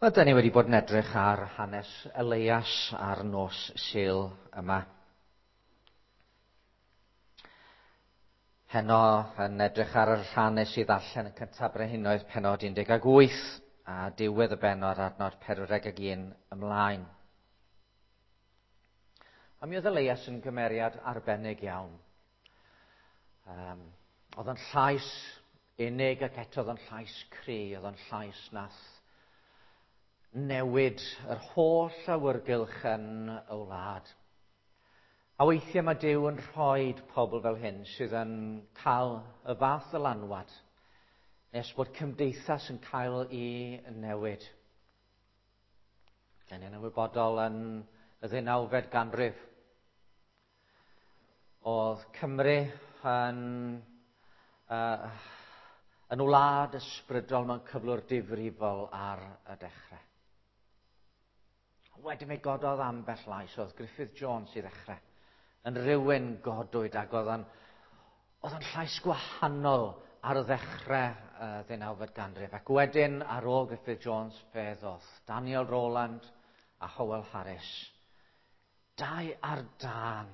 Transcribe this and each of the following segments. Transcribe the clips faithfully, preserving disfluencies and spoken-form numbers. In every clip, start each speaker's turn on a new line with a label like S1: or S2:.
S1: Wel, da ni wedi bod yn edrych ar hanes Elias ar nos Sul yma. Heno yn edrych ar yr hanes i ddarllen y cyntaf Brenhinoedd pennod un deg wyth a diwedd y bennod adnod pedwar deg un ymlaen. A mi oedd Elias yn gymeriad arbennig iawn. Um, oedd yn llais unig ac eto oedd yn llais cry, oedd yn llais nath newid yr holl awyrgylch yn y wlad. A weithiau mae Duw yn rhoi pobl fel hyn sydd yn cael y fath ddylanwad nes bod cymdeithas yn cael ei newid. Dan ni'n ymwybodol yn y ddeunawfed ganrif. Oedd Cymru yn, uh, yn wlad ysbrydol mewn cyflwr difrifol ar y dechrau. Wedyn fe gododd ambell lais, oedd Griffith Jones i ddechrau, yn rhywun godwyd ac oedd yn, oedd yn llais gwahanol ar y ddechrau uh, ddeunawfed ganrif. Ac wedyn ar ôl Griffith Jones fe ddoth Daniel Rowland a Howell Harris. Dau ar dân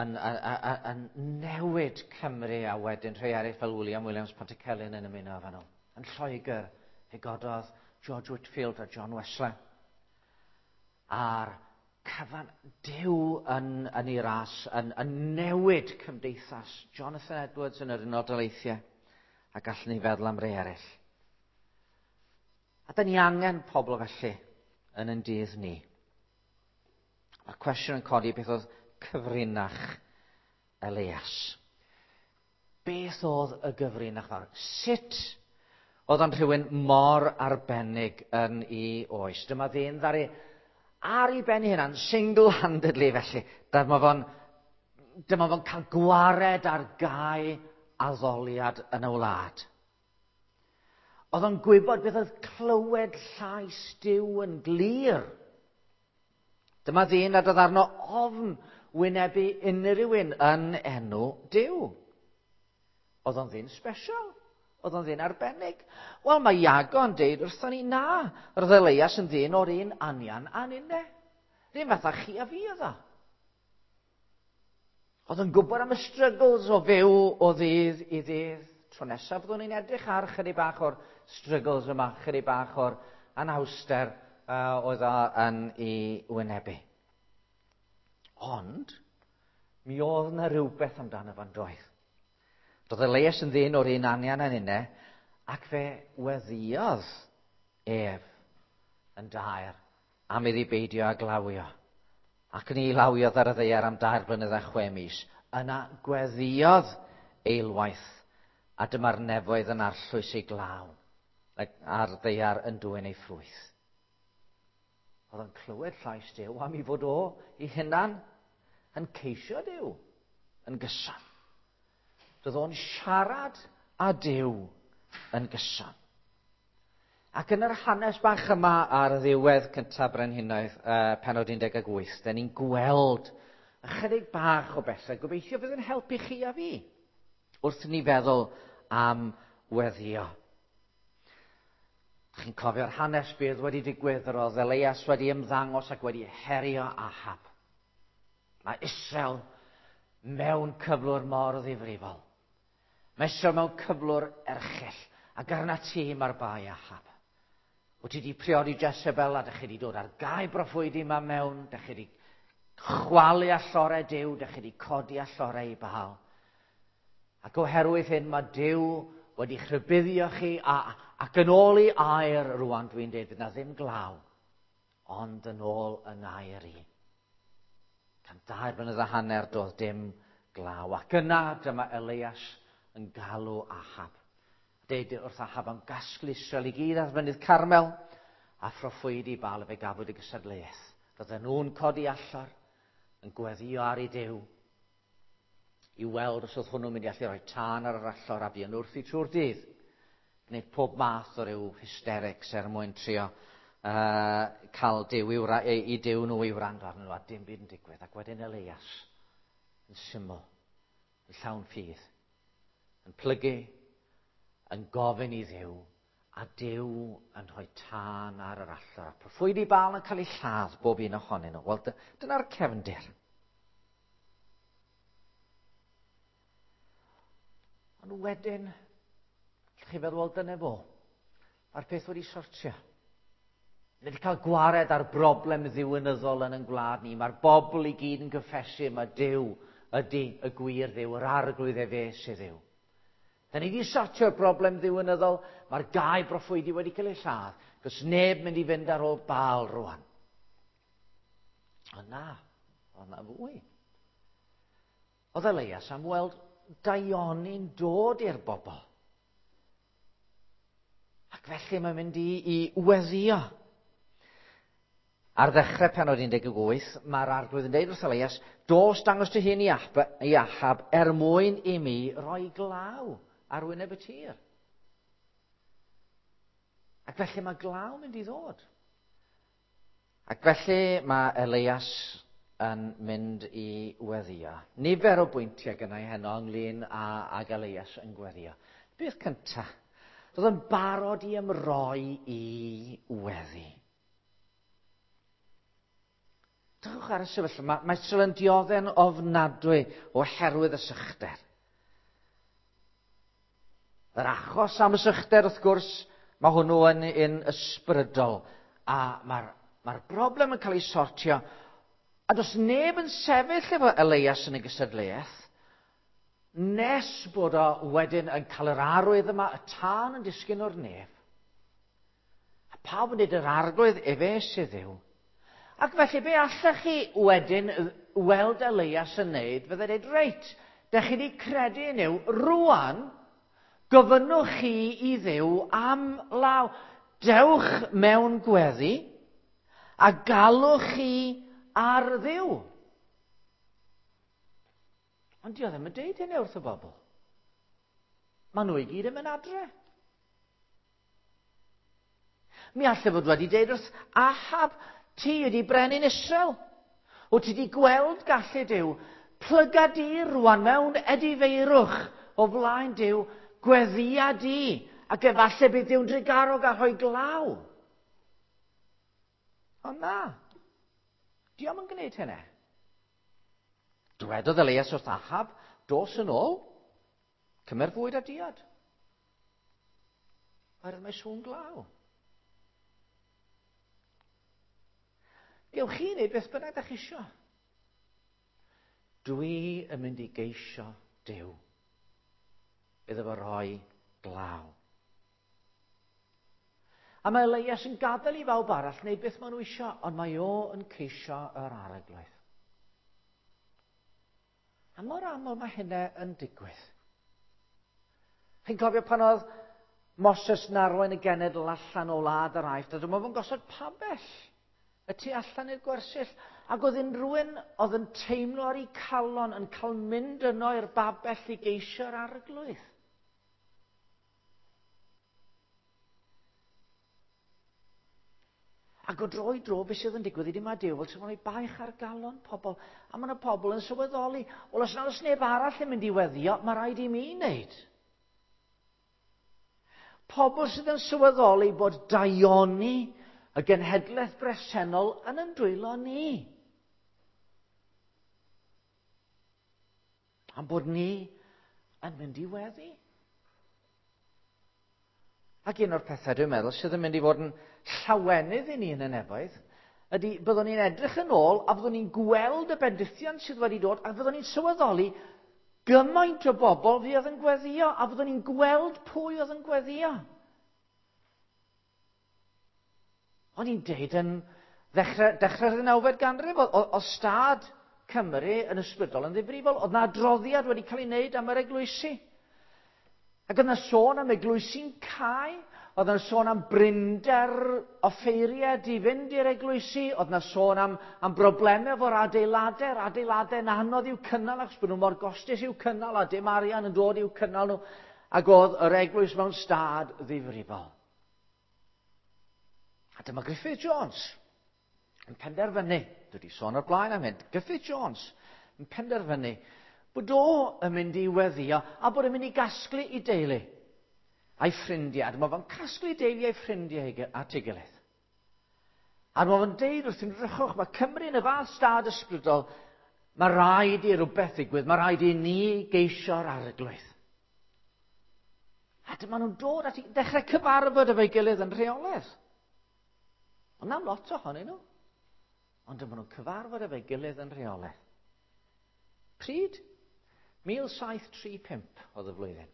S1: yn, yn, yn, yn newid Cymru a wedyn rhai eraill fel William Williams Pantycelyn yn ymuno efo nhw. Yn Lloegr fe gododd George Whitefield a John Wesley. A'r cyfan Duw yn, yn ei ras, yn, yn newid cymdeithas. Jonathan Edwards yn yr Unol Daleithiau, a gallwn ni feddwl am rei eraill. A da ni angen pobl felly yn ein dydd ni. Mae'r cwestiwn yn codi beth oedd cyfrinach Elias. Beth oedd y gyfrinach fawr? Sut oedd o'n rhywun mor arbennig yn ei oes? Dyma ddyn ddaru ar ei ben ei hunan, single-handedly felly. Dyma fo'n, dyma fo'n cael gwared ar gau addoliad yn y wlad. Oedd o'n gwybod beth oedd clywed llais Duw yn glir. Dyma ddyn nad oedd arno ofn wynebu unrhyw un yn enw Duw. Oedd o'n ddyn special. Oedd o'n ddyn arbennig. Wel, mae Iago yn deud wrthon ni na. Roedd Elias yn ddyn o'r un anian a ninne. Ddim fatha chi a fi oedd o. Oedd yn gwybod am y struggles o fyw o ddydd i ddydd. Tro nesaf fyddwn ni'n edrych ar chydig bach o'r struggles yma, chydig bach o'r anhawster uh, oedd o yn ei wynebu. Ond, mi oedd yna rhywbeth amdano fo'n doedd. Doedd Elias yn ddyn o'r un anian yn unne, ac fe weddïodd ef yn daer am iddi beidio â glawio. Ac ni lawiodd ar y ddaear am dair blynedd a chwe mis. Yna gweddïodd eilwaith, a dyma'r nefoedd yn arllwys ei glaw, a'r ddaear yn dwyn ei ffrwyth. Oedd o'n clywed llais Duw am ei fod o ei hunan yn ceisio Duw yn gyson. Roedd o'n siarad â Duw yn gyson. Ac yn yr hanes bach yma ar ddiwedd cyntaf Brenhinoedd, uh, pennod un deg wyth, da ni'n gweld ychydig bach o bethau. Gobeithio fydd yn helpu chi a fi wrth ni feddwl am weddïo. Chi'n cofio'r hanes bydd wedi digwydd, yr oedd Elias wedi ymddangos ac wedi herio Ahab. Mae Israel mewn cyflwr mor ddifrifol. Mae Israel mewn cyflwr erchyll, ac arna ti mae'r bai Ahab. Wyt ti wedi priodi Jezebel a dych chi wedi dod ar gau broffwydi yma mewn, dych chi wedi chwalu allorau Duw, dych chi wedi codi allorau i Baal. Ac oherwydd hyn mae Duw wedi rhybuddio chi a, ac yn ôl i air rwan dwi'n dweud fydd na ddim glaw, ond yn ôl yng ngair i. Can dair blynedd a hanner doedd dim glaw. Ac yna dyma Elias yn galw Ahab. Deud wrth Ahab am gasglu Israel i gyd ar fynydd Carmel a phroffwydi Baal fe gafwyd y gystadleuaeth. Roedden nhw'n codi allor yn gweddïo ar ei Duw i weld os oedd hwnnw'n mynd i allu rhoi tân ar yr allor a buon wrthi trwy'r dydd. Gwneud pob math o ryw hysterics er mwyn trio uh, cael Duw i, wra, i, i Duw nhw i wrando arnyn nhw a dim byd yn digwydd. Ac wedyn Elias yn syml, yn llawn ffydd, yn plygu, yn gofyn i Dduw A Duw yn rhoi tân ar yr allor. A proffwydi Baal yn cael ei lladd bob un ohonyn nhw. Wel, dyna'r cefndir. Ond wedyn, chi feddwl, wel, dyna fo. Mae'r peth wedi sortio. Ni wedi cael gwared ar broblem ddiwinyddol yn ein gwlad ni. Mae'r bobl i gyd yn gyffesu, mae Duw ydy y gwir Dduw, yr arglwydd efe sydd Dduw. Da ni wedi sortio'r broblem ddiwinyddol, mae'r gau broffwydi wedi cael ei lladd, cos neb mynd i fynd ar ôl Baal rwan. Ond na, oedd na fwy. Oedd Elias am weld daioni'n dod i'r bobl. Ac felly mae'n mynd i, i weddio. Ar ddechrau penod un deg wyth, mae'r arglwydd yn deud wrth Elias, dos dangos dy hun i Ahab er mwyn i mi roi glaw ar wyneb y tir. Ac felly mae glaw mynd i ddod. Ac felly mae Elias yn mynd i weddio. Nifer o bwyntiau gynnau heno ynglyn â, ag Elias yn gweddio. Beth cyntaf? Roedd yn barod i ymroi i weddi. Drychwch ar y sefyllfa. Mae, mae Israel yn diodde'n ofnadwy oherwydd y sychder. Yr achos am y sychder, wrth gwrs, mae hwnnw yn, yn ysbrydol. A mae'r mae broblem yn cael ei sortio. A does neb yn sefyll efo Elias yn y gystadleuaeth, nes bod o wedyn yn cael yr arwydd yma, y tân yn disgyn o'r nef. A pawb yn dweud yr arglwydd efe sydd Dduw. Ac felly be allech chi wedyn weld Elias yn neud, fydde dweud, reit, dech chi wedi credu yn Nuw, rwan, gofynnwch chi i Dduw am law. Dewch mewn gweddi a galwch chi ar Dduw. Ond dio ddim yn deud hynny wrth y bobl. Maen nhw i gyd yn mynd adre. Mi allai fod wedi deud wrth Ahab, ti ydi brenin Israel. Wyt ti wedi gweld gallu Duw. Plyga di rwan mewn edifeirwch o flaen Duw, gweddia di, ac efallai bydd Duw'n drugarog a rhoi glaw. Ond na, dio'm yn gwneud hynny. Dwedodd Elias wrth Ahab, dos yn ôl, cymer fwyd a diod. Oherwydd mae sŵn glaw. Gewch chi wneud beth bynnag dach chi isio. Dwi yn mynd i geisio Duw iddo fo roi glaw. A mae Elias yn gadael i bawb arall wneud beth maen nhw isio, ond mae o yn ceisio yr arglwydd. A mor aml mae hynna yn digwydd. Chi'n cofio pan oedd Moses yn arwain y genedl allan o wlad yr Aifft, a dyma fo'n gosod pabell y tu allan i'r gwersyll, ac oedd unrhyw un oedd yn teimlo ar ei calon yn cael mynd yno i'r babell i geisio'r arglwydd. Ac o dro i dro, beth sydd yn digwydd ydy mae Duw fel sy'n rhoi baich ar galon pobl, a mae yna pobl yn sylweddoli, wel os nad oes neb arall yn mynd i weddio, mae rhaid i mi wneud. Pobl sydd yn sylweddoli bod daioni y genhedlaeth bresennol yn yn dwylo ni. Am bod ni yn mynd i weddi. Ac un o'r pethau dwi'n meddwl sydd yn mynd i fod yn llawenydd i ni yn y nefoedd ydy byddwn ni'n edrych yn ôl a byddwn ni'n gweld y bendithion sydd wedi dod a byddwn ni'n sylweddoli gymaint o bobl fuodd yn gweddio a byddwn ni'n gweld pwy oedd yn gweddio. O'n i'n deud yn ddechrau, dechrau'r ddeunawfed ganrif, oedd stad Cymru yn ysbrydol yn ddifrifol. Oedd na adroddiad wedi cael ei wneud am yr eglwysi. Ac oedd na sôn am eglwysi'n cau, oedd na sôn am brinder offeiriad i fynd i'r eglwysi, oedd na sôn am, am broblemau efo'r adeiladau, yr adeiladau'n anodd i'w cynnal achos bod nhw mor gostus i'w cynnal a dim arian yn dod i'w cynnal nhw, ac oedd yr eglwys mewn stad ddifrifol. A dyma Griffith Jones yn penderfynu, dwi wedi sôn o'r blaen am hyn, Griffith Jones yn penderfynu bod o yn mynd i weddio a bod yn mynd i gasglu i deulu. a'i ffrindiau, a dyma fo'n casglu deulu a'i ffrindiau at ei gilydd. A dyma fo'n deud wrthyn rychwch, mae Cymru yn y fath stad ysbrydol, mae rhaid i rhywbeth ddigwydd, mae rhaid i ni geisio'r arglwydd. A dyma nhw'n dod at i ddechrau cyfarfod efo'i gilydd yn rheolaidd. Ond na'm lot ohonyn nhw. Ond dyma nhw'n cyfarfod efo'i gilydd yn rheolaidd. Pryd? mil saith tri pump oedd y flwyddyn.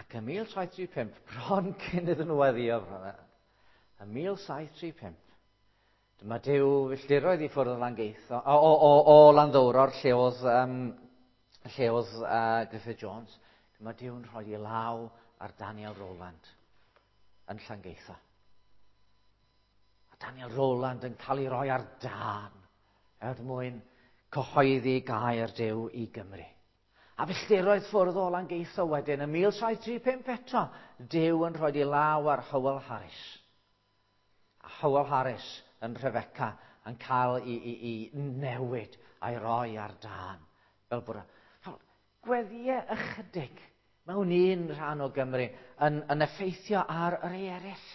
S1: Ac ym mil saith tri pump, bron cyn iddyn nhw weddio, ym mil saith tri pump, dyma Duw filltiroedd i ffwrdd o Langeitho, o, o, o, o Landdowror, lle oedd, um, lle oedd uh, Griffith Jones, dyma Duw'n rhoi ei law ar Daniel Rowland yn Llangeitho. A Daniel Rowland yn cael ei roi ar dân er mwyn cyhoeddi gair Duw i Gymru. A filltiroedd ffwrdd o Langeitho wedyn, ym mil saith tri pump eto, Duw yn rhoi ei law ar Howell Harris. A Howell Harris yn Rhyfeca yn cael ei, ei, ei newid a'i roi ar dân. Fel bod fel gweddïau ychydig mewn un rhan o Gymru yn, yn effeithio ar yr eraill.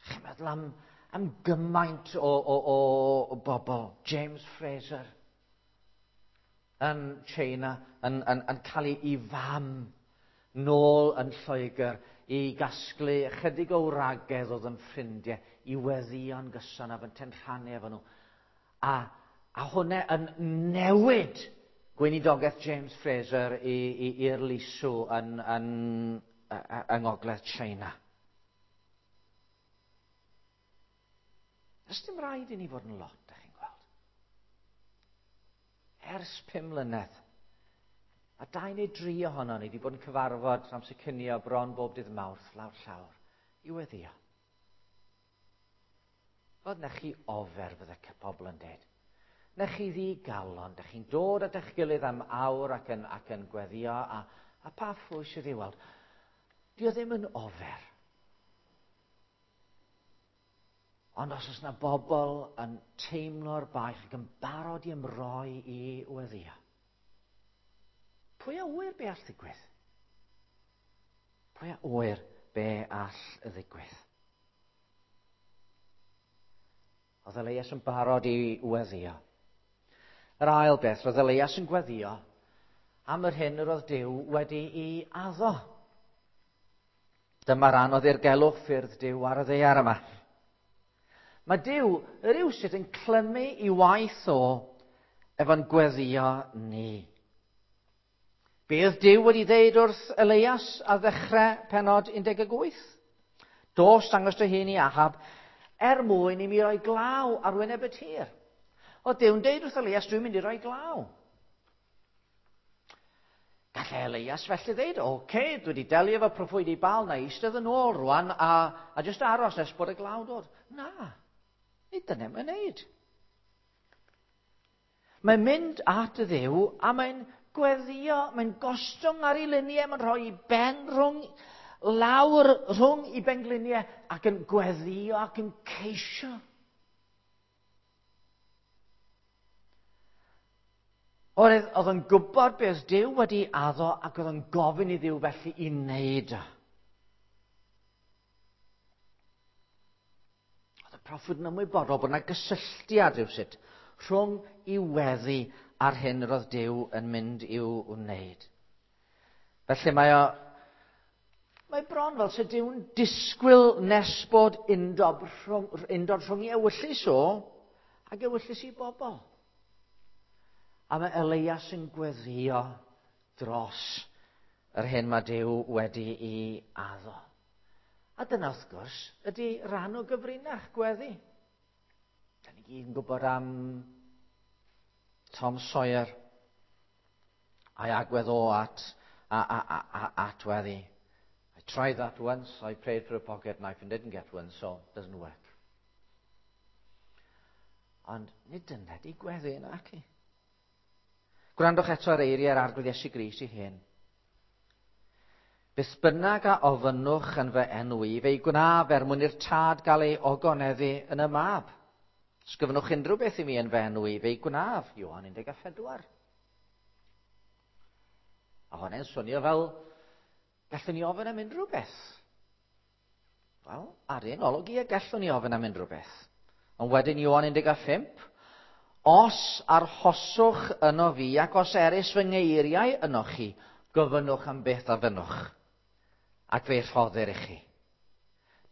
S1: Chi'n meddwl am, am gymaint o, o, o, o bobl. James Fraser yn China yn, yn, yn cael ei fam nôl yn Lloegr i gasglu ychydig o wragedd oedd yn ffrindiau i weddïo'n gyson a fynte'n rhannu efo nhw. A, a hwnna yn newid gweinidogaeth James Fraser i'r Lisw yn, yn, yng Ngogledd China. Does dim rhaid i ni fod yn lot, ydych chi'n gweld. Ers pum mlynedd, a dau neu dri ohono ni wedi bod yn cyfarfod amser cinio bron bob dydd Mawrth lawr llawr i weddio. Fod na chi ofer, fydde pobl yn dweud. Na chi ddigalon, da chi'n dod at eich gilydd am awr ac yn, ac yn gweddio, a, a pa ffwy sydd i'w weld. Dio ddim yn ofer. Ond os oes yna bobl yn teimlo'r baich ac yn barod i ymroi i weddio, pwy a ŵyr be all ddigwydd? Pwy a ŵyr be all ddigwydd? Oedd Elias yn barod i weddio. Yr ail beth, roedd Elias yn gweddio am yr hyn yr oedd Duw wedi'i addo. Dyma ran o ddirgelwch ffyrdd Duw ar y ddaear yma. Mae Duw rywsut yn clymu i waith o efo'n gweddio ni. Be oedd Duw wedi ddeud wrth Elias ar ddechrau pennod un deg wyth? Dos dangos dy hun i Ahab er mwyn i mi roi glaw ar wyneb y tir. Oedd Duw'n deud wrth Elias, dwi'n mynd i roi glaw. Gallai Elias felly ddeud, oce, okay, dwi wedi delio efo proffwydi Baal, na eistedd yn ôl rwan a, a jyst aros nes bod y glaw dod. Na, nid dyna mae'n neud. Mae'n mynd at y Dduw a mae'n gweddio, mae'n gostwng ar ei liniau, mae'n rhoi ei ben rhwng, lawr rhwng ei bengliniau ac yn gweddio ac yn ceisio. Oedd, oedd yn gwybod beth Duw wedi addo ac oedd yn gofyn i Dduw felly i wneud o. Oedd y proffwyd yn ymwybodol bod yna gysylltiad rhywsut rhwng i weddi a'r hyn yr oedd Duw yn mynd i'w wneud. Felly mae o, mae bron fel se Duw'n disgwyl nes bod undod rhwng, undod rhwng i ewyllys o ac ewyllys i bobl. A mae Elias yn gweddio dros yr hyn mae Duw wedi'i addo. A dyna wrth gwrs ydy rhan o gyfrinach gweddi. Da ni gyd yn gwybod am Tom Sawyer a'i agwedd o at, a, a, a, a, at weddi. I tried that once, I prayed for a pocket knife and didn't get one, so it doesn't work. Ond nid dyna di gweddi yna, ac i. Gwrandwch eto ar eiriau'r Arglwydd Iesu Grist ei hun. Beth bynnag a ofynnwch yn fy enw i, fe'i gwnaf er mwyn i'r tad gael ei ogoneddu yn y mab. Os gofynnwch unrhyw beth i mi yn fy enw i, fe'i gwnaf, Ioan un deg a phedwar. A hwnna'n swnio fel, gallwn ni ofyn am unrhyw beth. Wel, ar un olwg i, gallwn ni ofyn am unrhyw beth. Ond wedyn Ioan un deg a phump, os arhoswch yno fi ac os erys fy ngeiriau yno chi, gofynnwch am beth a fynnwch, ac fe'i rhoddir i chi.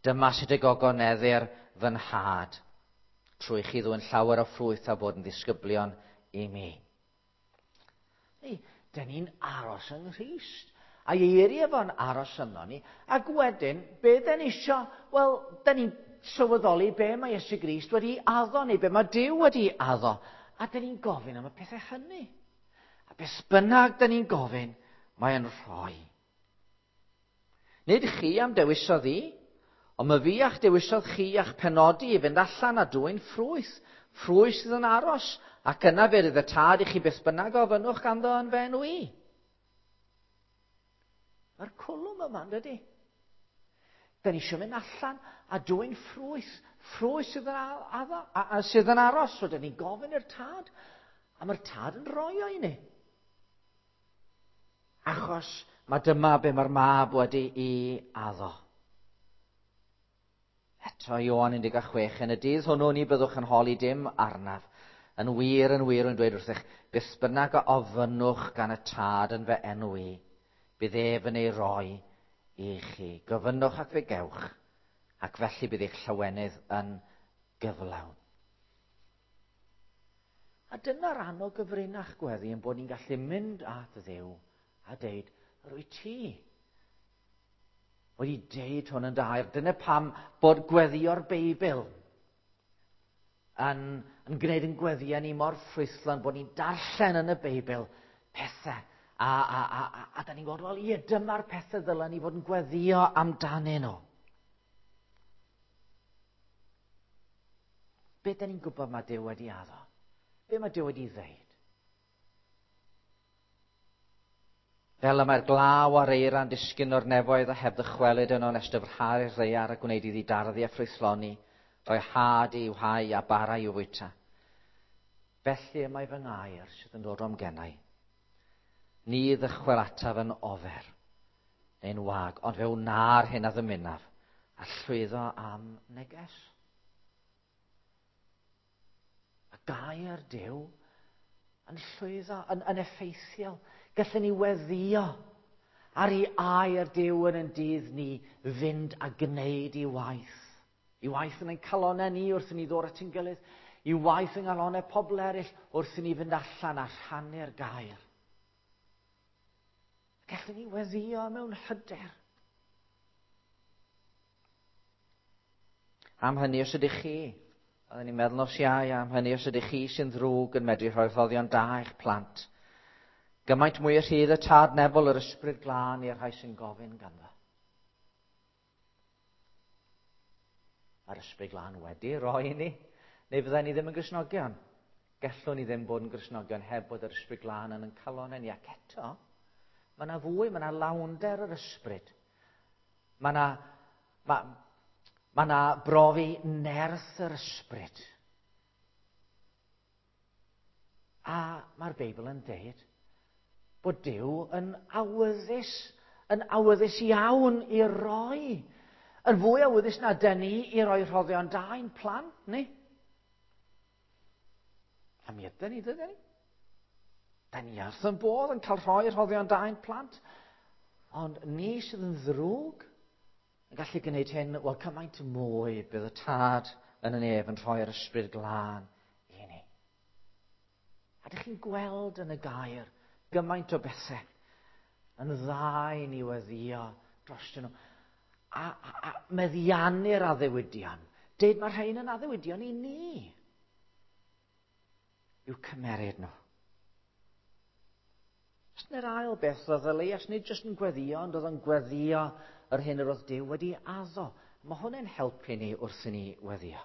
S1: Dyma sut y gogoneddir fy nhad, trwy chi ddwyn llawer o ffrwyth a bod yn ddisgyblion i mi. Neu, dyn ni'n aros yng Nghrist. A eiriau fo'n aros yno ni. Ac wedyn, be dyn ni isio? Wel, dyn ni'n sylweddoli be mae Iesu Grist wedi addo, neu be mae Duw wedi addo. A dyn ni'n gofyn am y pethau hynny. A beth bynnag dyn ni'n gofyn, mae'n rhoi. Nid chi am dewisodd i, ond mae fi a'ch dewisodd chi a'ch penodi i fynd allan a dwyn ffrwyth, ffrwyth sydd yn aros, ac yna fe rydd y tad i chi beth bynnag ofynnwch ganddo yn fy enw i. Mae'r cwlwm yma, dydy? Da ni eisiau mynd allan a dwyn ffrwyth, ffrwyth sydd yn, addo, a, a sydd yn aros. So, da ni'n gofyn i'r tad, a mae'r tad yn rhoi o i ni. Achos mae dyma be mae'r mab wedi i addo. Eto Ioan un deg chwech, yn y dydd hwnnw ni byddwch yn holi dim arnaf. Yn wir, yn wir, yn dweud wrthych, beth bynnag a ofynnwch gan y tad yn fy enw i, bydd ef yn ei roi i chi. Gofynnwch ac fe gewch, ac felly bydd eich llawenydd yn gyflawn. A dyna ran o gyfrinach gweddi yn bod ni'n gallu mynd at Dduw a deud, rwy ti wedi deud hwn yn dair. Dyna pam bod gweddio'r Beibl yn, yn gwneud yn gweddiau ni mor ffrwythlon, bod ni'n darllen yn y Beibl pethau. A, a, a, a, a da ni'n gweld, wel, ie, dyma'r pethau ddylen ni fod yn gweddio amdanyn nhw. Be da ni'n gwybod mae Duw wedi addo? Be mae Duw wedi ddeud? Fel y mae'r glaw a'r eira'n disgyn o'r nefoedd a heb ddychwelyd yno nes dyfrhau'r ddaear a gwneud iddi darddu a ffrwythloni, rhoi had i'w hau a bara i'w fwyta. Felly y mae fy ngair sydd yn dod o'm gennau. Ni ddychwel ataf yn ofer, neu'n wag, ond fe wna'r hyn a ddymunaf, a llwyddo am neges. Y gair Duw yn llwyddo, yn, yn effeithiol. Gallwn ni weddio ar ei air Duw yn ein dydd ni fynd a gwneud i waith. I waith yn ein calonau ni wrth i ni ddod at ein gilydd. I waith yng nghalonau pobl eraill wrth i ni fynd allan a rhannu'r gair. Gallwn ni weddio mewn hyder. Am hynny os ydych chi, oedden ni'n meddwl nos Iau, am hynny os ydych chi sy'n ddrwg yn medru rhoi rhoddion da i'ch plant, gymaint mwy y rhydd y tad nebol yr ysbryd glân i'r rhai sy'n gofyn ganddo. Mae'r ysbryd glân wedi roi i ni, neu fydden ni ddim yn Gristnogion. Gallwn ni ddim bod yn Gristnogion heb bod yr ysbryd glân yn ein calonnau ni. Ac eto, mae yna fwy, mae yna lawnder yr ysbryd. Mae yna, mae, mae yna brofi nerth yr ysbryd. A mae'r Beibl yn deud bod Duw yn awyddus, yn awyddus iawn i roi. Yn fwy awyddus na dyn ni i roi rhoddion da i'n plant ni. A mi ydyn ni, dydyn ni? Da ni wrth yn bodd yn cael rhoi rhoddion da i'n plant. Ond ni sydd yn ddrwg yn gallu gwneud hyn, wel, cymaint mwy bydd y tad yn y nef yn rhoi'r ysbryd glân i ni. A dych chi'n gweld yn y gair gymaint o bethau yn dda i ni weddio drostyn nhw. A, a, a meddiannu'r addewidion. Deud mae rhain yn addewidion i ni. I'w cymeryd nhw. Dyna'r ail beth oedd Elias, nid jyst yn gweddio, ond oedd yn gweddio yr hyn yr oedd Duw wedi addo. Mae hwn yn helpu ni wrth i ni weddio.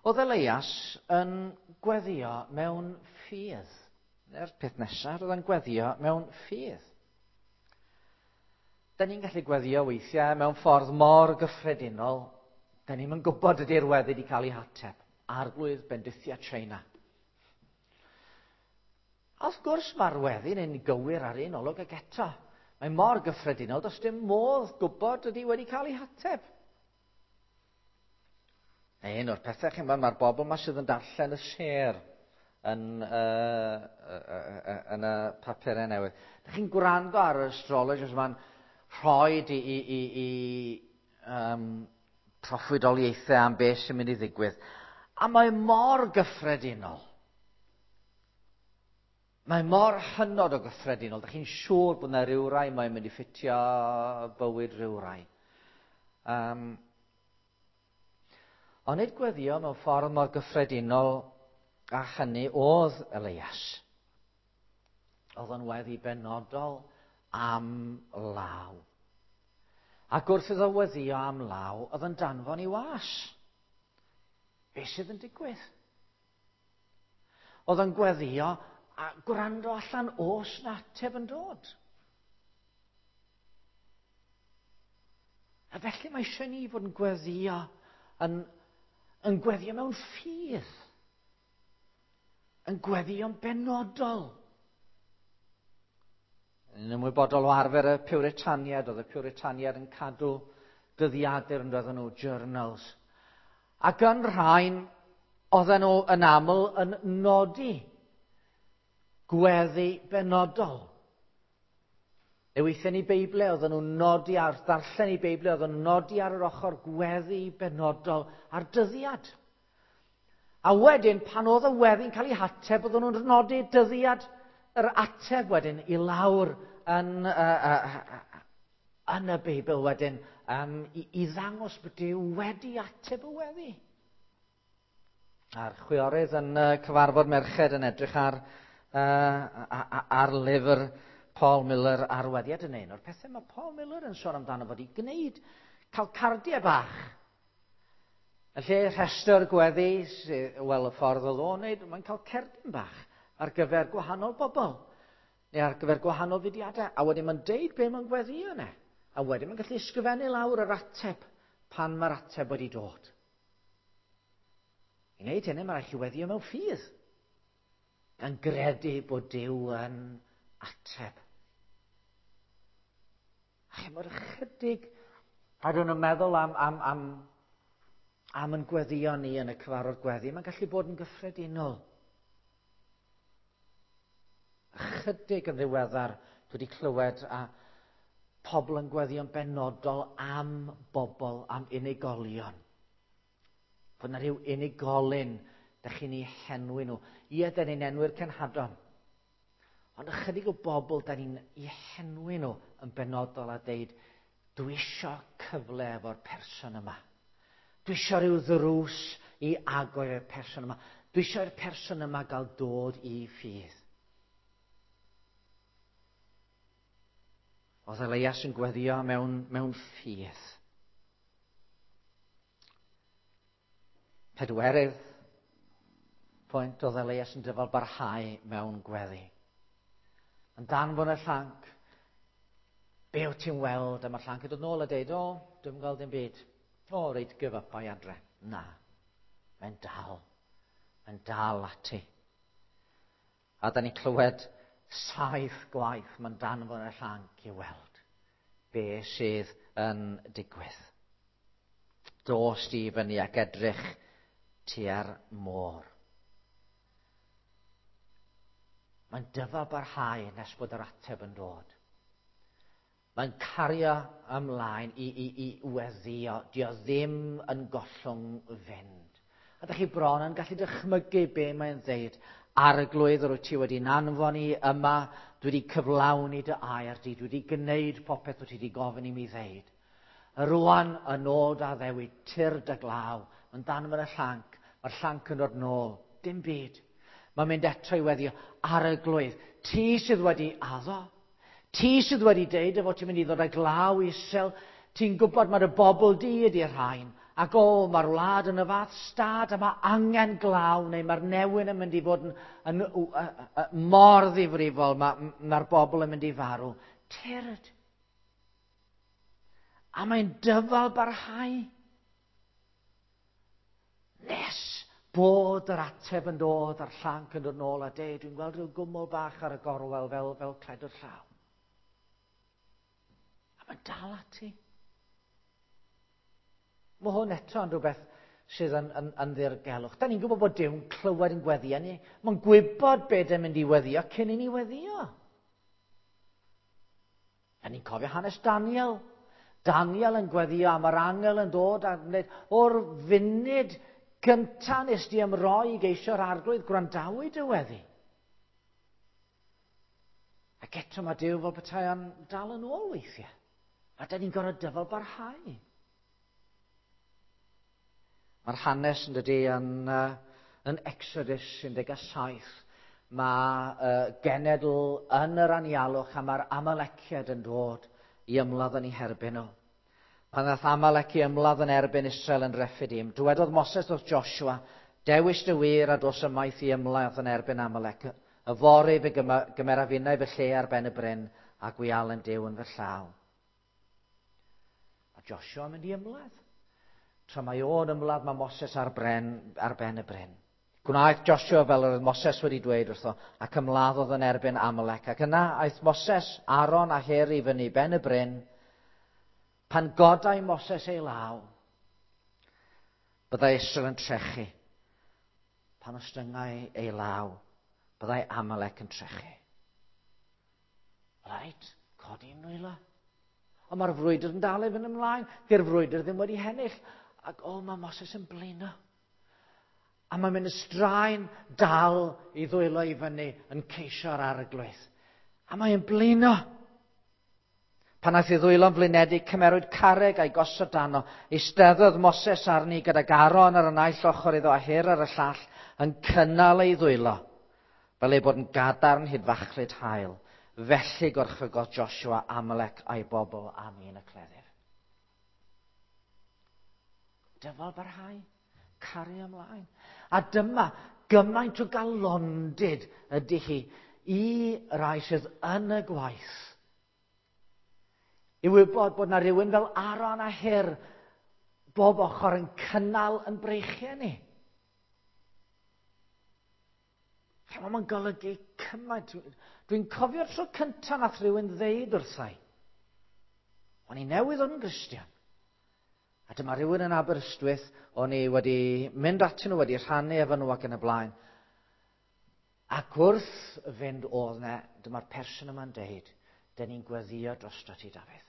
S1: Oedd Elias yn gweddio mewn ffydd. Neu'r peth nesaf, oedd yn gweddio mewn ffydd. Da ni'n gallu gweddio weithiau mewn ffordd mor gyffredinol. Da ni'm yn gwybod ydy'r weddi wedi cael ei hateb. Arglwydd bendithia China. A wrth gwrs mae'r weddi'n un gywir ar un olwg ag eto. Mae mor gyffredinol, does dim modd gwybod ydy wedi cael ei hateb. Un o'r pethau, chi'n gwybod, mae'r bobl yma sydd yn darllen y sêr yn, uh, uh, uh, yn y papurau newydd. Dych chi'n gwrando ar yr astrologers yma'n rhoi i, i, i, i um, proffwydoliaethau am beth sy'n mynd i ddigwydd. A mae mor gyffredinol. Mae mor hynod o gyffredinol. Dych chi'n siŵr bod yna rhywrai mae'n mynd i ffitio bywyd rhywrai. Um, ond nid gweddio mewn ffordd mor gyffredinol a hynny oedd Elias. Oedd o'n weddi benodol am law. Ac wrth iddo weddio am law, oedd yn danfon i was. Be sydd yn digwydd? Oedd yn gweddio a gwrando allan oes na ateb yn dod. A felly mae eisiau ni fod yn gweddio, yn, yn gweddio mewn ffydd. Yn gweddio'n benodol. Yn ymwybodol o arfer y Puritaniad, oedd y Puritaniad yn cadw dyddiadur yn doedden nhw, journals. Ac yn rhain, oedden nhw yn aml yn nodi gweddi benodol. Neu weithiau ni Beiblau, oedden nhw'n nodi ar ddarllen i Beiblau, oedden nhw'n nodi ar yr ochr gweddi benodol a'r dyddiad. A wedyn, pan oedd y weddi'n cael ei hateb, oedden nhw'n nodi dyddiad yr ateb wedyn i lawr yn, uh, uh, uh, yn y Beibl wedyn um, i, i ddangos bod Duw wedi ateb y weddi. A'r chwiorydd yn uh, cyfarfod merched yn edrych ar, uh, ar lyfr Paul Miller ar weddiad yn un o'r pethau mae Paul Miller yn sôn amdano fod i gwneud cael cardiau bach. Yn lle rhestr gweddi, wel y ffordd oedd o'n wneud, mae'n cael cerdyn bach ar gyfer gwahanol bobl, neu ar gyfer gwahanol fudiadau, a wedyn mae'n deud be mae'n gweddio yna. A wedyn mae'n gallu ysgrifennu lawr yr ateb pan mae'r ateb wedi dod. I wneud hynny, mae'n rhaid chi weddio mewn ffydd, gan gredu bod Duw yn ateb. A chimod ychydig, a dyn nhw'n meddwl am, am, am, am yn gweddio ni yn y cyfarfod gweddi, mae'n gallu bod yn gyffredinol. Ychydig yn ddiweddar, dwi wedi clywed a pobl yn gweddio'n benodol am bobl, am unigolion. Fod yna rhyw unigolyn, dych chi'n ei henwi nhw. Ie, dyn ni'n enwi'r cenhadon. Ond ychydig o bobl, dyn ni'n ei henwi nhw yn benodol a deud, dwi isio cyfle efo'r person yma. Dwi isio rhyw ddrws i agor i'r person yma. Dwi isio i'r person yma gael dod i ffydd. Oedd Elias yn gweddio mewn, mewn ffydd. Pedwerydd pwynt, oedd Elias yn dyfal barhau mewn gweddi. Yn danfon y llanc, be wyt ti'n weld? A mae'r llanc yn dod nôl a deud, o, dwi'm yn gweld dim byd. O, reit, give up a'i adre. Na, mae'n dal. Mae'n dal ati. A da ni'n clywed saith gwaith mae'n danfon y llanc i weld be sydd yn digwydd. Dos di fyny ac edrych tua'r môr. Mae'n dyfal barhau nes bod yr ateb yn dod. Mae'n cario ymlaen i, i, i weddio. Dio ddim yn gollwng fynd. A dych chi bron yn gallu dychmygu be mae'n ddeud. Arglwydd, yr wyt ti wedi'n anfon i yma, dwi wedi cyflawni dy air di, dwi wedi gwneud popeth wyt ti wedi gofyn i mi ddeud. Rwan yn ôl da ddewid, tyrd y glaw, mae'n danfon y llanc, mae'r llanc yn dod nôl, dim byd. Mae'n mynd eto i weddio, Arglwydd, ti sydd wedi addo, ti sydd wedi deud y fod ti'n mynd i ddod â glaw isel, ti'n gwybod mae'r bobl di ydy'r rhain, ac o, mae'r wlad yn y fath stad a mae angen glaw, neu mae'r newyn yn mynd i fod yn, yn, yn, yn, yn mor ddifrifol, mae'r mae bobl yn mynd i farw. Tyrd. A mae'n dyfal barhau. Nes bod yr ateb yn dod a'r llanc yn dod nôl a deud, dwi'n gweld rhyw gwmwl bach ar y gorwel fel, fel cledr llaw. A mae'n dal ati. Mae hwn eto yn rhywbeth sydd yn, yn, yn ddirgelwch. Da ni'n gwybod bod Duw'n clywed yn gweddio ni. Mae'n gwybod beth yn mynd i weddio cyn i ni weddio. Da ni'n cofio hanes Daniel. Daniel yn gweddio am yr angel yn dod a gwneud o'r funud gyntaf nes di ymroi i geisio'r arglwydd, gwrandawyd y weddi. Ac eto mae Duw fel petai o'n dal yn ôl weithiau. A da ni'n gorfod dyfal barhau. Mae'r hanes yn dydy yn, uh, yn Exodus un deg saith. Mae uh, genedl yn yr anialwch a mae'r Amaleciaid yn dod i ymladd yn eu herbyn nhw. Pan ddaeth Amalec i ymladd yn erbyn Israel yn Rephidim, dywedodd Moses wrth Joshua, dewis dy wir a dos ymaith i ymladd yn erbyn Amalec. Yfory fe gymeraf innau fy lle ar ben y bryn a gwialen Duw yn fy llaw. A Joshua yn mynd i ymladd. Tra mae o'n ymladd, mae Moses ar, bren, ar ben y bryn. Gwnaeth Joshua fel yr oedd Moses wedi dweud wrtho, ac ymladdodd yn erbyn Amalec. Ac yna aeth Moses, Aaron a Hur i fyny ben y bryn. Pan godai Moses ei law, byddai Israel yn trechu. Pan ostyngai ei law, byddai Amalec yn trechu. Reit, codi nwylo. Ond mae'r frwydr yn dal i fynd ymlaen. Di'r frwydr ddim wedi hennill. Ac o, mae Moses yn blino. A mae'n mynd y straen dal i ddwylo i fyny yn ceisio'r arglwydd. A mae'n blino. Pan aeth ei ddwylo'n flinedig, cymerwyd carreg a'i gosod dano. Eisteddodd Moses arni gydag Aaron ar y naill ochr iddo a Hur ar y llall yn cynnal ei ddwylo, fel ei bod yn gadarn hyd fachlud haul. Felly gorchfygodd Joshua Amalek a'i bobl am un y cleddyf. Dyfal barhau, cario ymlaen. A dyma gymaint o galondid ydy hi i rai sydd yn y gwaith. I wybod bod na rhywun fel Aaron a Hur bob ochr yn cynnal yn breichiau ni. Mae'n golygu cymaint. Dwi'n cofio'r tro cyntaf nath rhywun ddeud wrthai. O'n i newydd o'n Gristion. A dyma rhywun yn Aberystwyth, o'n i wedi mynd atyn nhw, wedi rhannu efo nhw ac yn y blaen. Ac wrth fynd oedd ne, dyma'r person yma'n deud, dyn ni'n gweddio drosto ti, Dafydd.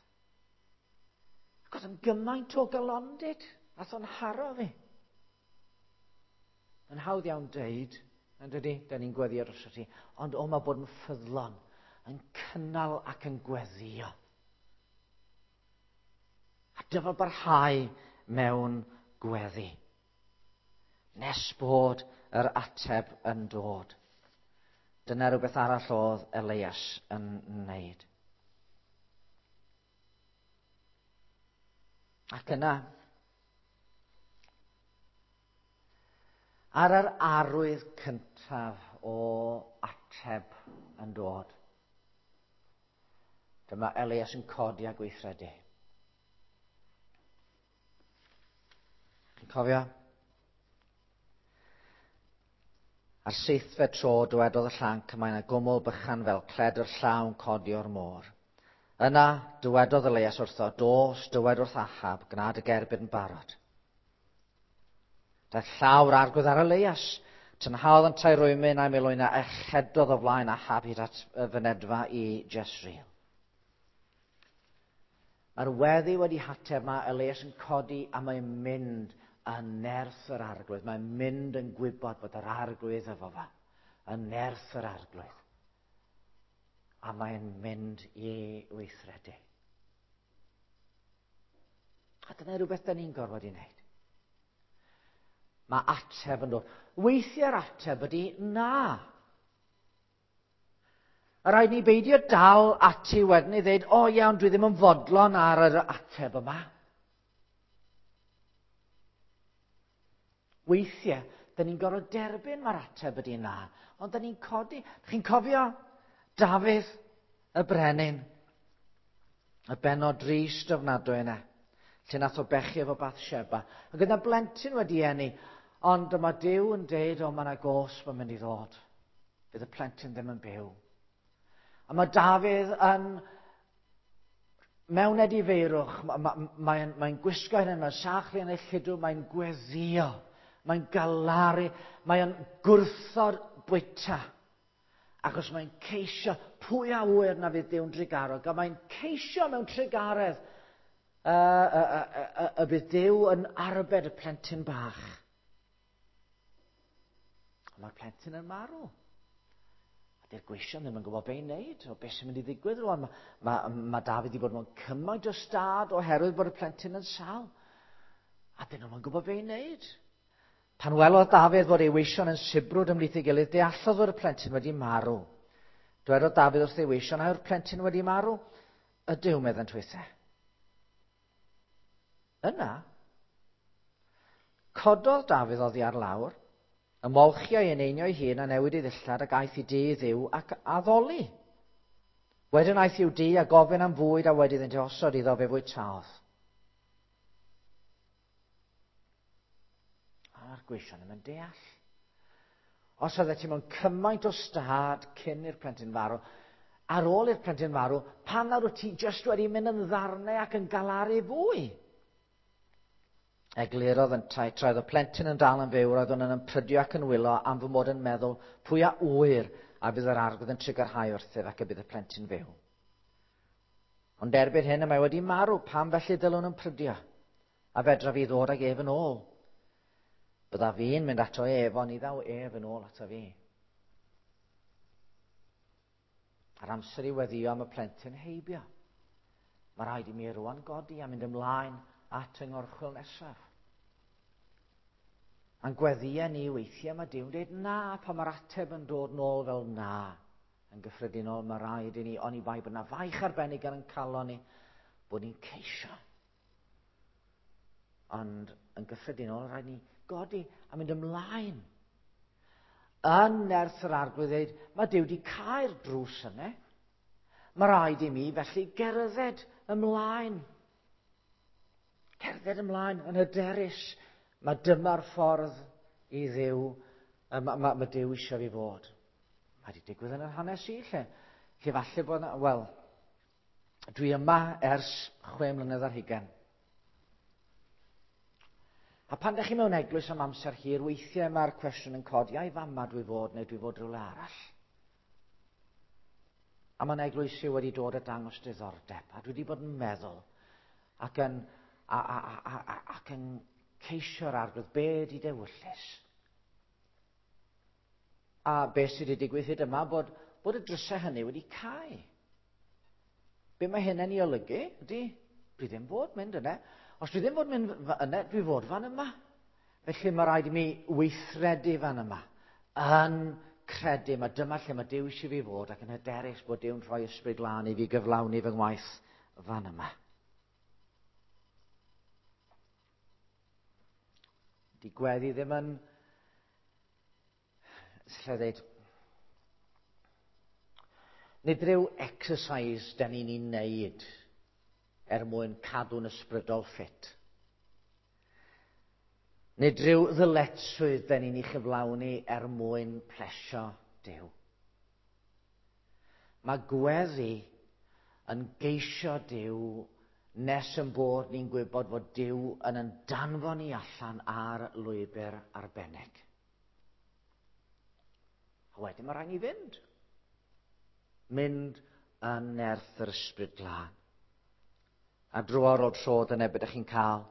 S1: Ac oedd yn gymaint o galondid, nath o'n haro fi. Yn hawdd iawn deud, yn dydy, dyn ni'n gweddio drosto ti, ond o, mae bod yn ffyddlon, yn cynnal ac yn gweddio. A dyfal barhau mewn gweddi. Nes bod yr ateb yn dod. Dyna rhywbeth arall oedd Elias yn wneud. Ac yna, ar yr arwydd cyntaf o ateb yn dod, dyma Elias yn codi a gweithredu. Chi'n cofio? Ar seithfed tro dywedodd y llanc, mae yna gwmwl bychan fel cledr llaw yn codi o'r môr. Yna dywedodd Elias wrtho, dos, dywed wrth Ahab, gwna dy gerbyd yn barod. Daeth llaw'r arglwydd ar Elias, tynhaodd yntau rwymyn a'i milwyna a chedodd o flaen Ahab hyd at y fynedfa i Jezreel. Mae'r weddi wedi hateb, mae Elias yn codi a mae'n mynd yn nerth yr arglwydd. Mae'n mynd yn gwybod bod yr arglwydd efo fe, yn nerth yr arglwydd. A mae'n mynd i weithredu. A dyna rhywbeth da ni'n gorfod i wneud. Mae ateb yn dod. Weithiau'r ateb ydy na. A rhaid ni beidio dal ati wedyn i ddweud, o iawn, dwi ddim yn fodlon ar yr ateb yma. Weithiau, da ni'n gorfod derbyn mae'r ateb ydy na, ond da ni'n codi. Chi'n cofio Dafydd y brenin, y bennod drist ofnadwy yna, lle nath o bechu efo Bathsheba, ac yna blentyn wedi eni, Ond dyma Duw yn deud, o, mae yna gosb yn mynd i ddod. Bydd y plentyn ddim yn byw. A mae Dafydd yn mewn edifeirwch, mae'n ma, ma, mae gwisgo hyn, mae'n sachlu yn ei lludw, mae'n gweddio, mae'n galaru, mae'n gwrthod bwyta. Achos mae'n ceisio pwy a ŵyr na fydd Duw'n drugarog, a mae'n ceisio mewn trugaredd uh, uh, uh, uh, y bydd Duw yn arbed y plentyn bach. A mae'r plentyn yn marw. A dy'r gweision ddim yn gwybod be i wneud, o beth sy'n mynd i ddigwydd rwan. Mae, ma, ma Dafydd wedi bod mewn cymaint o stad oherwydd bod y plentyn yn sâl. A dyn nhw'n gwybod be i wneud. Pan welodd Dafydd fod ei weision yn sibrwd ymhlith ei gilydd, deallodd fod y plentyn wedi marw. Dwedodd Dafydd wrth ei weision, a yw'r plentyn wedi marw? Ydyw, meddent hwythau. Yna, cododd Dafydd oddi ar lawr, ymolchi o'i eneinio ei hun a newid ei ddillad ac aeth i dŷ Dduw ac addoli. Wedyn aeth i'w dŷ a gofyn am fwyd a wedi iddynt osod iddo fe fwytaodd. A'r gweision ddim yn deall. Os oeddet ti mewn cymaint o stad cyn i'r plentyn farw, ar ôl i'r plentyn farw, pam nawr wyt ti jyst wedi mynd yn ddarnau ac yn galaru fwy? Eglurodd yntau, tra oedd y plentyn yn dal yn fyw, roedd yn ymprydio ac yn wylo am fy mod yn meddwl pwy a ŵyr a fydd yr arglwydd yn trugarhau wrthyf ac y bydd y plentyn fyw. Ond erbyn hyn y mae wedi marw, pam felly dylwn ymprydio? A fedra fi ddod ag ef yn ôl? Bydda fi'n mynd ato ef, ond ni ddaw ef yn ôl ato fi. A'r amser i weddio am y plentyn heibio. Mae rhaid i mi rwan godi a mynd ymlaen at yng ngorchwyl nesaf. A'n gweddïau ni weithiau mae Duw'n dweud na, pan mae'r ateb yn dod nôl fel na. Yn gyffredinol mae rhaid i ni, oni bai bod na faich arbennig ar ein calon ni, bod ni'n ceisio. Ond yn gyffredinol rhaid ni godi a mynd ymlaen. Yn nerth yr arglwydd dweud, mae Duw wedi cau'r drws yna. Mae rhaid i mi felly gerdded ymlaen. Cerdded ymlaen yn hyderus. Mae dyma'r ffordd i Dduw, mae, ma, ma Duw eisiau fi fod. Mae wedi digwydd yn yr hanes i lle. Lle falle bod, wel, dwi yma ers chwe mlynedd ar hugain. A pan ydych chi mewn eglwys am amser hir, weithiau mae'r cwestiwn yn codi, ai fama dwi fod neu dwi fod rhywle arall. A mae'n eglwysi wedi dod a dangos diddordeb, a dwi wedi bod yn meddwl ac yn, a, a, a, a, ac yn ceisio'r arglwydd, be ydi dewyllys? A be sydd wedi digwydd hyd yma, bod, bod y drysau hynny wedi cau. Be mae hynny'n ei olygu ydy, dwi ddim fod mynd yna. Os dwi ddim fod mynd yna, dwi fod fan yma. Felly mae rhaid i mi weithredu fan yma. Yn credu, mae dyma lle mae Duw eisiau fi fod ac yn hyderus bod Duw'n rhoi ysbryd glân i fi gyflawni fy ngwaith fan yma. Di gweddi ddim yn, lle dweud, nid rhyw exercise da ni'n ei wneud er mwyn cadw'n ysbrydol ffit. Nid rhyw ddyletswydd da ni'n ei chyflawni er mwyn plesio Duw. Mae gweddi yn geisio Duw nes yn bod ni'n gwybod fod Duw yn yn danfon ni allan ar lwybr arbennig. A wedyn mae rhaid ni fynd. Mynd yn nerth yr ysbryd glân. A dro ar ôl tro, dyna beth ydych chi'n cael.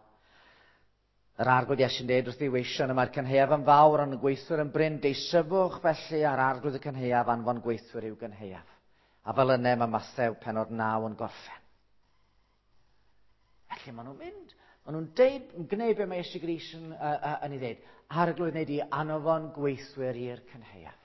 S1: Yr arglwydd Iesu'n dweud wrth ei weision, y mae'r cynhaeaf yn fawr ond y gweithwyr yn brin, deisyfwch felly ar arglwydd y cynhaeaf anfon gweithwyr i'w gynhaeaf. A fel yna mae Mathew pennod naw yn gorffen. Felly maen nhw'n mynd. Maen nhw'n deud, yn gwneud be mae Iesu Grist yn, uh, uh, yn ei ddeud. Arglwydd wneud i anfon gweithwyr i'r cynhaeaf.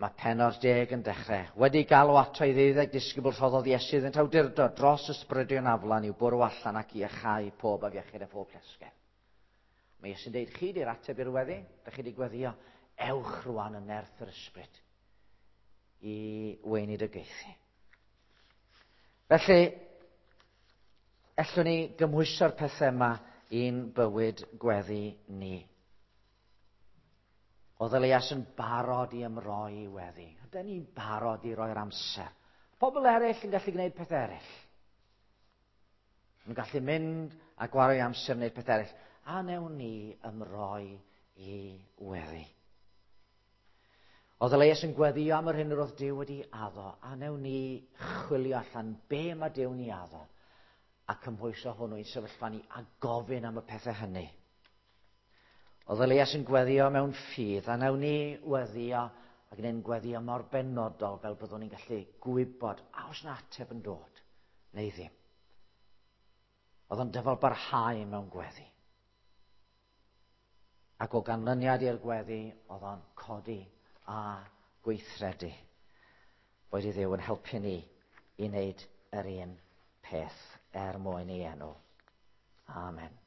S1: Mae pennod deg yn dechrau. Wedi galw ato ei ddeuddeg disgybl rhoddodd Iesu iddynt awdurdod dros ysbrydion aflan i'w bwrw allan ac i iachau pob afiechyd a phob llesgedd. Mae Iesu'n deud, chi di'r ateb i'r weddi, da chi di gweddio, ewch rwan yn nerth yr ysbryd i weinidogaethu. Felly, ellwn ni gymhwyso'r pethau yma i'n bywyd gweddi ni. Oedd Elias yn barod i ymroi i weddi. Ydyn ni'n barod i roi'r amser. Pobl eraill yn gallu gwneud peth eraill. Yn gallu mynd a gwario amser wneud peth eraill. A newn ni ymroi i weddi. Oedd Elias yn gweddio am yr hyn yr oedd Duw wedi addo, a newn ni chwilio allan be mae Duw'n ei addo, a cymhwyso hwnnw i'n sefyllfa ni a gofyn am y pethau hynny. Oedd Elias yn gweddio mewn ffydd, a newn ni weddio ac yn gweddio mor benodol fel byddwn ni'n gallu gwybod a oes na ateb yn dod, neu ddim. Oedd o'n dyfal barhau mewn gweddi. Ac o ganlyniad i'r gweddi, oedd o'n codi a gweithredu. Boed i Dduw yn helpu ni i wneud yr un peth er mwyn ei enw. Amen.